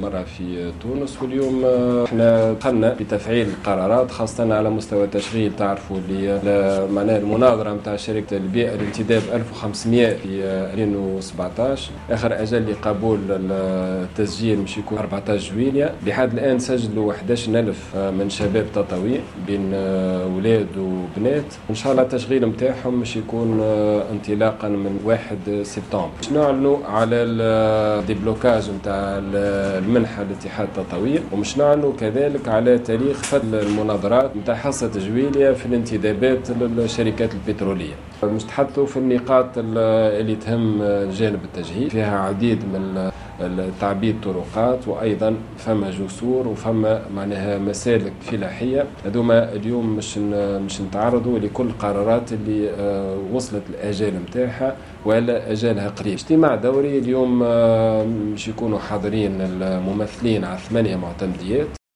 مرة في تونس. واليوم احنا دخلنا بتفعيل القرارات، خاصة على مستوى التشغيل. تعرفوا اللي معناها المناظرة نتاع شركة البيئة الانتداب 1500 في 2017، اخر اجل لقبول التسجيل مش يكون 14 جويليا. لحد الان سجلوا 11000 من شباب تطاوين بين اولاد وبنات. ان شاء الله التشغيل نتاعهم مش يكون انطلاقا من 1 سبتمبر. باش نعلنوا على ال déblocage نتاع المنحة لاتحاد التطاوين، ومش نعلنوا كذلك على تاريخ فتح المناظرات نتاع حصة جويليا في الانتدابات للشركات البتروليه. مش تحدثوا في النقاط اللي تهم جانب التجهيز، فيها عديد من تعبيد طرقات، وايضا فما جسور وفما معناها مسالك فلاحيه. هذوما اليوم مش نتعرضوا لكل القرارات اللي وصلت الاجال نتاعها ولا اجالها قريب. اجتماع دوري اليوم مش يكونوا حاضرين الممثلين على 8 معتمديات.